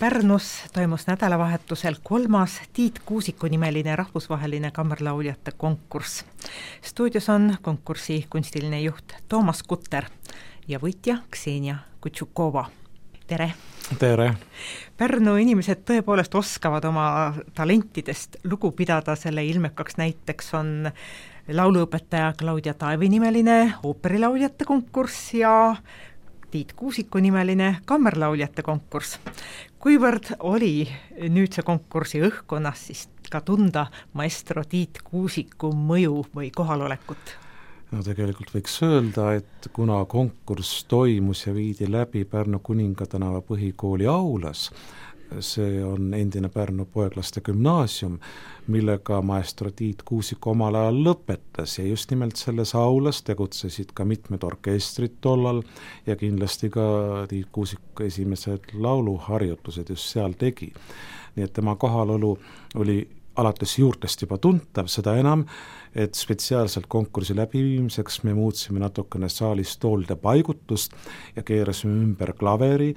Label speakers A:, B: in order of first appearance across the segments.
A: Pärnus toimus nädalavahetusel 3. Tiit Kuusiku nimeline rahvusvaheline kammerlauljate konkurss. Stuudios on konkursi kunstiline juht Toomas Kutter ja võitja Ksenia Kutšukova. Tere!
B: Tere!
A: Pärnu inimesed tõepoolest oskavad oma talentidest lugu pidada, selle ilmekaks näiteks on lauluõpetaja Claudia Taevi nimeline ooperilauljate konkurss ja Tiit Kuusiku nimeline kammerlauljate konkurss. Kuivõrd oli nüüd see konkursi õhkkonnas siis ka tunda maestro Tiit Kuusiku mõju või kohalolekut?
B: No tegelikult võiks öelda, et kuna konkurss toimus ja viidi läbi Pärnu Kuningatänava põhikooli aulas, see on endine Pärnu poeglaste gümnaasium, millega maestro Tiit Kuusik omal ajal lõpetas ja just nimelt selles aulas tegutsesid ka mitmed orkestrid tollal ja kindlasti ka Tiit Kuusik esimesed lauluharjutused just seal tegi. Nii et tema kohalolu oli alates juurtest juba tuntav, seda enam, et spetsiaalselt konkursi läbiviimiseks me muutsime natukene saalis toolde paigutust ja keerasime ümber klaveri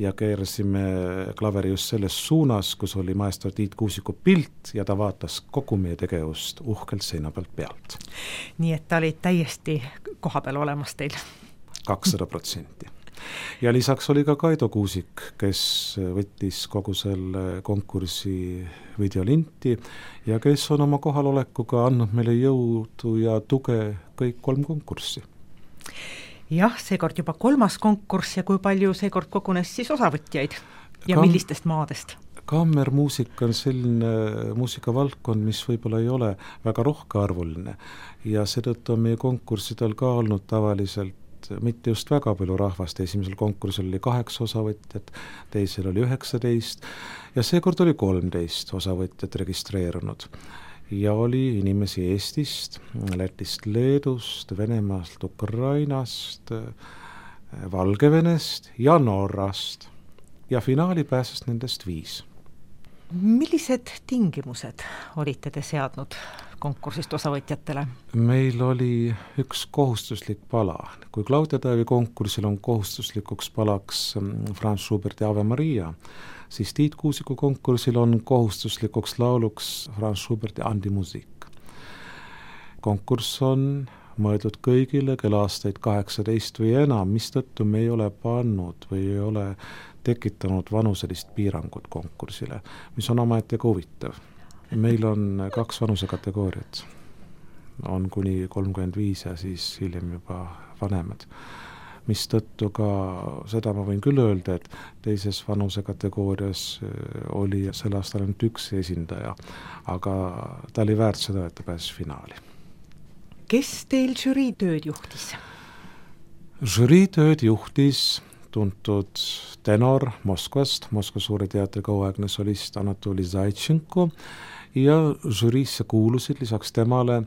B: ja keerasime klaveri just selles suunas, kus oli maestro Tiit Kuusiku pilt ja ta vaatas kogu meie tegevust uhkelt seina pealt.
A: Nii et ta oli täiesti kohapeal olemas teil?
B: 200%. Ja lisaks oli ka Kaido Kuusik, kes võttis kogu selle konkursi videolinti ja kes on oma kohalolekuga andnud meile jõudu ja tuge kõik 3 konkurssi.
A: Jah, seekord juba 3. konkurss ja kui palju seekord kogunes siis osavõtjaid ja millistest maadest?
B: Kammermuusika on selline muusikavaldkond, mis võib-olla ei ole väga rohkearvuline ja seetõttu on meie konkurssidel ka olnud tavaliselt mitte just väga palju rahvast, esimesel konkursil oli 8 osavõtjat, teisel oli 19 ja seekord oli 13 osavõtjat registreerunud. Ja oli inimesi Eestist, Lätist, Leedust, Venemaalt, Ukrainast, Valgevenest ja Norrast ja finaali pääses nendest 5.
A: Millised tingimused olite te seadnud konkursist osavõtjatele?
B: Meil oli üks kohustuslik pala. Kui Claudia Taevi konkursil on kohustuslikuks palaks Franz Schuberti Ave Maria, siis Tiit Kuusiku konkursil on kohustuslikuks lauluks Franz Schuberti Andi Musik. Konkurss on mõeldud kõigile, kel aastaid 18 või enam, mistõttu me ei ole pannud või ei ole tekitanud vanuselist piirangut konkursile, mis on omaette huvitav. Meil on 2 vanusekategooriat, on kuni 35 ja siis hiljem juba vanemad. Mistõttu ka seda ma võin küll öelda, et teises vanusekategoorias oli sel aastal ainult 1 esindaja, aga ta oli väärt seda, et ta pääses finaali.
A: Kes teil žüriitööd juhtis?
B: Žüriitööd juhtis tuntud tenor Moskvast, Moskva Suure teatri kauaaegne solist Anatoli Zaitšenko ja žüriisse kuulusid lisaks temale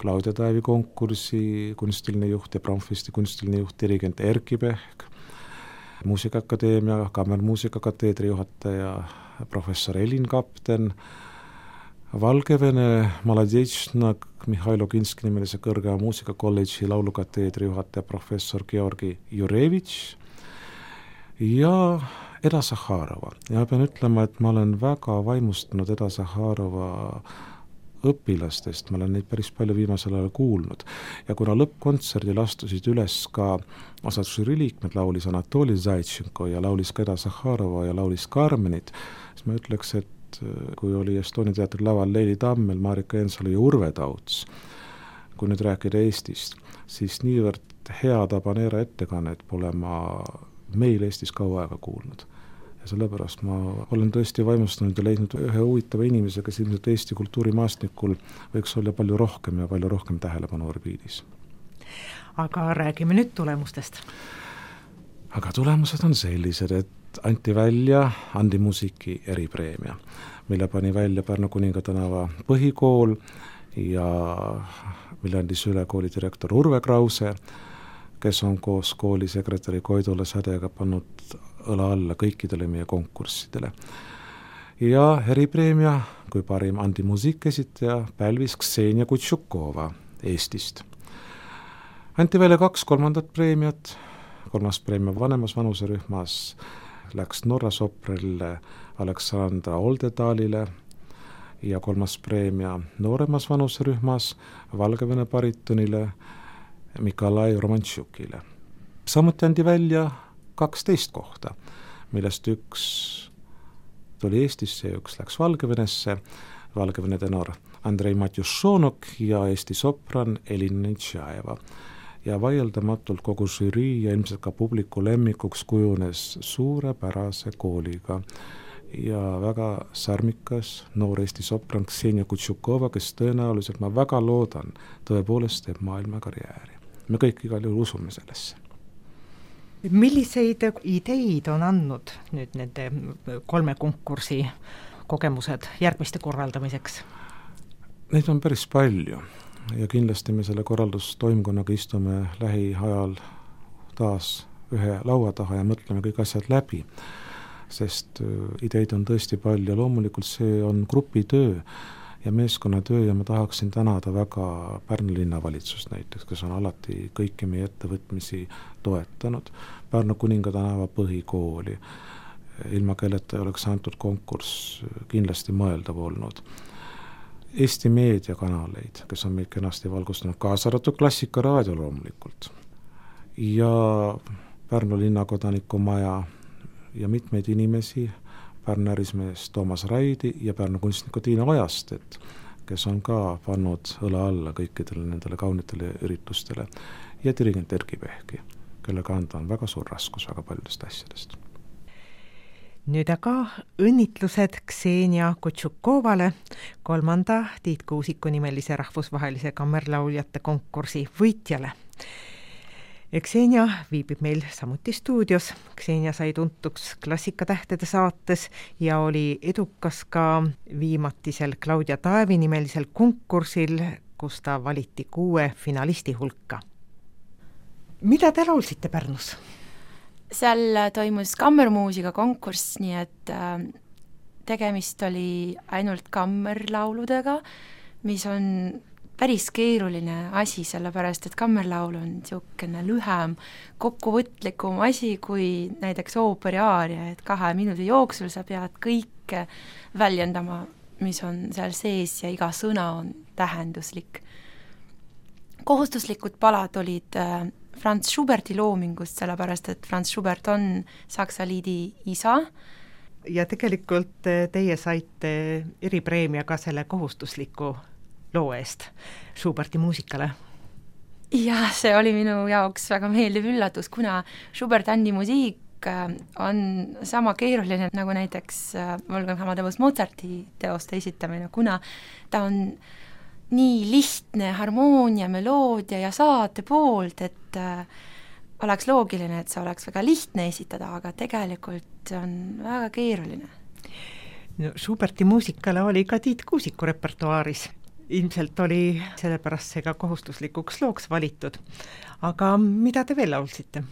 B: Claudia Taevi konkursi kunstiline juht ja Bromfesti kunstiline juht dirigent Erki Pehk, Muusikaakadeemia kammermuusikakateedri juhataja professor Elin Kapten, Valgevene Maladečna Mihhail Oginski nimelise kõrge muusikakolledži laulukateedri juhataja professor Georgi Jurevitš ja Eda Zaharova. Ja pean ütlema, et ma olen väga vaimustunud Eda Zaharova õpilastest, ma olen neid päris palju viimasel ajal kuulnud. Ja kuna lõppkontserdil astusid üles ka osad žüriliikmed, laulis Anatoli Zaitšenko ja laulis ka Eda Zaharova ja laulis Carmenit, siis ma ütleks, et kui oli Estonia teatri laval Leili Tammel, Marika Ensalu ja Urve Tauts, kui nüüd rääkida Eestist, siis niivõrd hea tabaneera ettekannet pole ma meil Eestis kaua aega kuulnud. Ja sellepärast ma olen tõesti vaimustunud ja leidnud ühe huvitava inimese, kes ilmselt Eesti kultuurimaastikul võiks olla palju rohkem tähelepanu orbiidis.
A: Aga räägime nüüd tulemustest.
B: Aga tulemused on sellised, et anti välja Andi Musiki eripreemia, mille pani välja Pärnu Kuningatänava põhikool ja mille andis üle kooli direktor Urve Krause, kes on koos kooli sekretäri Koidula Sädega pannud õla alla kõikidele meie konkurssidele. Ja eripreemia kui parim Andi Musik esitaja pälvis Ksenia Kutšukova Eestist. Anti välja 2 kolmandat preemiat, 3. preemia vanemas vanuserühmas läks Norra soprile Aleksandra Oldedalile ja 3. preemia nooremas vanuserühmas Valgevene baritonile Mikolai Romantšukile. Samuti andi välja 12 kohta, millest üks tuli Eestisse ja üks läks Valgevenesse, Valgevene tenor Andrei Matjušonok ja Eesti sopran Elina Nitšajeva. Ja vaieldamatult kogu žürii ja ilmselt ka publiku lemmikuks kujunes suurepärase kooliga ja väga särmikas noor Eesti sopran Ksenia Kutšukova, kes tõenäoliselt, ma väga loodan, tõepoolest teeb maailmakarjääri. Me kõik igal juhul usume sellesse.
A: Milliseid ideid on andnud nüüd nende 3 konkursi kogemused järgmiste korraldamiseks?
B: Neid on päris palju ja kindlasti me selle korraldustoimkonnaga istume lähiajal taas ühe laua taha ja mõtleme kõik asjad läbi, sest ideid on tõesti palju ja loomulikult see on grupitöö ja meeskonnatöö ja ma tahaksin tänada väga Pärnu linnavalitsust näiteks, kes on alati kõiki meie ettevõtmisi toetanud, Pärnu Kuninga tänava põhikooli, ilma kelleta ei oleks antud konkurss kindlasti mõeldav olnud. Eesti meediakanaleid, kes on meid kenasti valgustanud, kaasa arvatud Klassikaraadio loomulikult ja Pärnu linnakodanikumaja ja mitmeid inimesi, Pärnu ärismees Toomas Raidi ja Pärnu kunstniku Tiina Ojastet, kes on ka pannud õla alla kõikidele nendele kaunitele üritustele ja dirigent Erki Pehki, kelle kanda on väga suur raskus väga paljudest asjadest.
A: Nüüd aga õnnitlused Ksenia Kutšukovale, 3. Tiit Kuusiku nimelise rahvusvahelise kammerlauljate konkursi võitjale. Ksenia viibib meil samuti stuudios. Ksenia sai tuntuks Klassikatähtede saates ja oli edukas ka viimatisel Claudia Taevi nimelisel konkursil, kus ta valiti 6 finalisti hulka. Mida te laulsite Pärnus?
C: Seal toimus kammermuusika konkurss, nii et tegemist oli ainult kammerlauludega, mis on päris keeruline asi, sellepärast et kammerlaul on niisugune lühem, kokkuvõtlikum asi kui näiteks ooperiaaria, et 2 minuti jooksul sa pead kõike väljendama, mis on seal sees ja iga sõna on tähenduslik. Kohustuslikud palad olid Franz Schuberti loomingust, sellepärast et Franz Schubert on Saksa liidi isa.
A: Ja tegelikult teie saite eripreemia ka selle kohustusliku loo eest Schuberti muusikale.
C: Ja see oli minu jaoks väga meeldiv üllatus, kuna Schubert-Andi muziik on sama keeruline nagu näiteks Wolfgang Amadeus Mozarti teoste esitamine, kuna ta on nii lihtne harmoonia, meloodia ja saate poolt, et oleks loogiline, et see oleks väga lihtne esitada, aga tegelikult on väga keeruline.
A: No, Schuberti muusikale oli ka Tiit Kuusiku repertuaaris. Ilmselt oli sellepärast see ka kohustuslikuks looks valitud. Aga mida te veel laulsite?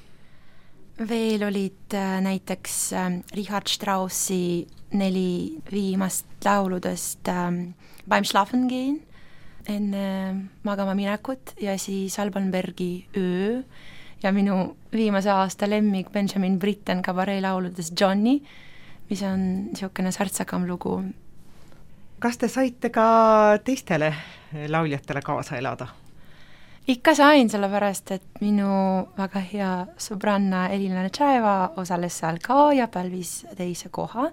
C: Veel olid näiteks Richard Straussi 4 viimast lauludest Beim Schlafen gehen, enne magama minekut ja siis Alban Bergi Öö ja minu viimase aasta lemmik Benjamin Britten kabaree lauludest Johnny, mis on niisugune särtsakam lugu.
A: Kas te saite ka teistele lauljatele kaasa elada?
C: Ikka sain, sellepärast, et minu väga hea sõbranna Elina Nitšajeva osales seal ka ja pälvis 2. koha.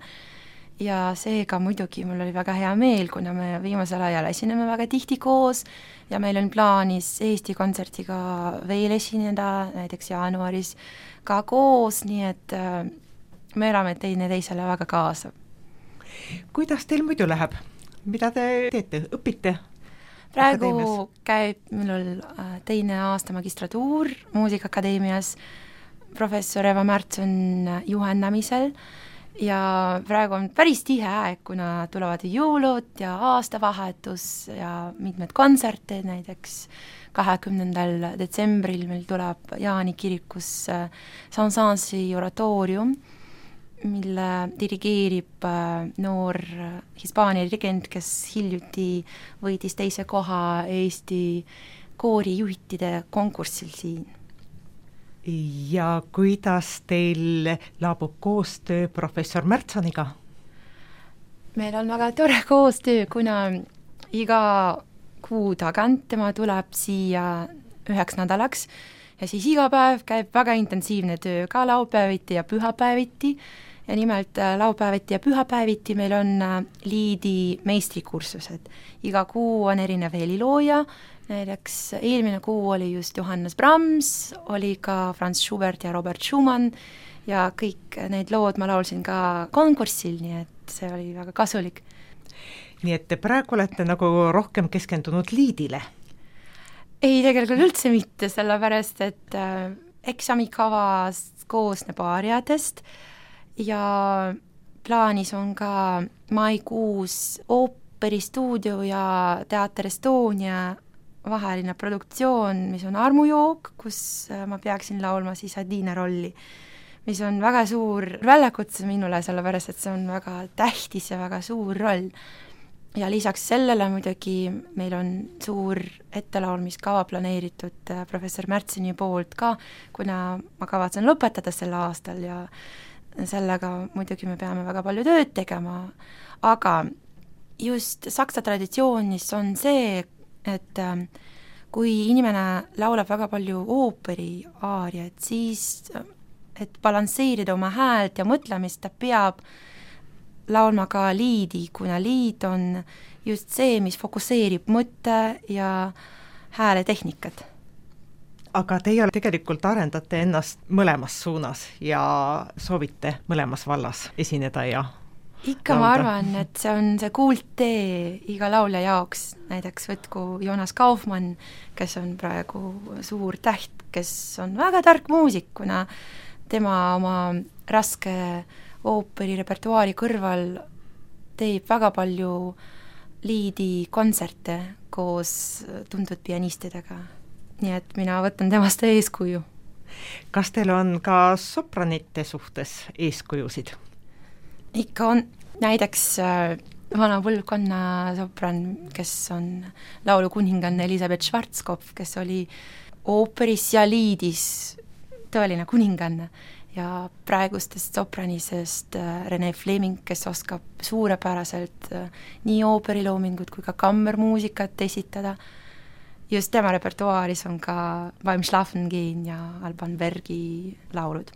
C: Ja seega muidugi mul oli väga hea meel, kuna me viimasel ajal esineme väga tihti koos ja meil on plaanis Eesti kontsertiga veel esineda, näiteks jaanuaris ka koos, nii et me elame teisele väga kaasa.
A: Kuidas teil muidu läheb? Mida te teete? Õpite?
C: Praegu käib minul 2. aasta magistratuur Muusikaakadeemias, professor Eva Märts on juhendamisel ja praegu on päris tihe aeg, kuna tulevad jõulud ja aastavahetus ja mitmed kontserte, näiteks 20. detsembril meil tuleb Jaani kirikus Saint-Saensi oratoorium, mille dirigeerib noor Hispaania dirigent, kes hiljuti võitis 2. koha Eesti koorijuhtide konkursil siin.
A: ja kuidas teil laabub koostöö professor Märtsoniga?
C: meil on väga tore koostöö, kuna iga kuu tagant tema tuleb siia 1 nädalaks ja siis iga päev käib väga intensiivne töö, ka laupäeviti ja pühapäeviti. Ja nimelt laupäeviti ja pühapäeviti meil on liidi meistrikursused. Iga kuu on erinev helilooja, näiteks eelmine kuu oli just Johannes Brahms, oli ka Franz Schubert ja Robert Schumann ja kõik need lood ma laulsin ka konkursil, nii et see oli väga kasulik.
A: Nii et te praegu olete nagu rohkem keskendunud liidile?
C: Ei, tegelikult üldse mitte, sellepärast et eksamikavas koosneb aariadest ja plaanis on ka maikuus ooperistuudio ja Teater Estonia vaheline produktsioon, mis on armujook, kus ma peaksin laulma siis Adina rolli, mis on väga suur väljakutse minule, sellepärast et see on väga tähtis ja väga suur roll. Ja lisaks sellele muidugi meil on suur ettelaulmiskava planeeritud professor Märtsini poolt ka, kuna ma kavatsen lõpetada sel aastal ja sellega muidugi me peame väga palju tööd tegema, aga just saksa traditsioonis on see, et kui inimene laulab väga palju ooperi aariaid, siis et balansseerida oma häält ja mõtlemist, ta peab laulma ka liidi, kuna liid on just see, mis fokusseerib mõtte ja hääletehnikat.
A: Aga teie tegelikult arendate ennast mõlemas suunas ja soovite mõlemas vallas esineda ja
C: ikka laulda. Ma arvan, et see on see kuulttee iga laulja jaoks, näiteks võtku Jonas Kaufmann, kes on praegu suur täht, kes on väga tark muusik, kuna tema oma raske ooperi repertuaari kõrval teeb väga palju liidi kontserte koos tuntud pianistidega. Nii et mina võtan temast eeskuju.
A: Kas teil on ka sopranite suhtes eeskujusid?
C: Ikka on. Näiteks vana põlvkonna sopran, kes on laulukuninganna Elisabeth Schwarzkopf, kes oli ooperis ja liidis tõeline kuninganna ja praegustest sopranisest Rene Fleming, kes oskab suurepäraselt nii ooperiloomingut kui ka kammermuusikat esitada. Just tema repertuaaris on ka Beim Schlafen gehen ja Alban Bergi laulud.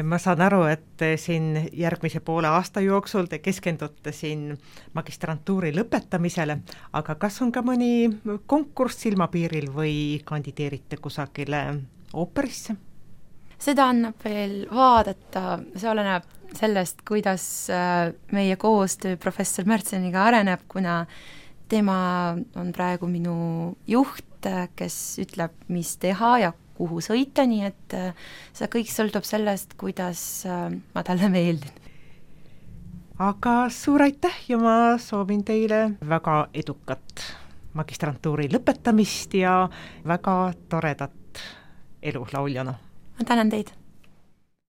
A: Ma saan aru, et siin järgmise poole aasta jooksul te keskendute siin magistrantuuri lõpetamisele, aga kas on ka mõni konkurss silmapiiril või kandideerite kusagile ooperisse?
C: Seda annab veel vaadata, see oleneb sellest, kuidas meie koostöö professor Märtseniga areneb, kuna tema on praegu minu juht, kes ütleb, mis teha ja kuhu sõita, nii et see kõik sõltub sellest, kuidas ma talle meeldin.
A: Aga suur aitäh ja ma soovin teile väga edukat magistrantuuri lõpetamist ja väga toredat elu lauljana.
C: Ma tänan teid!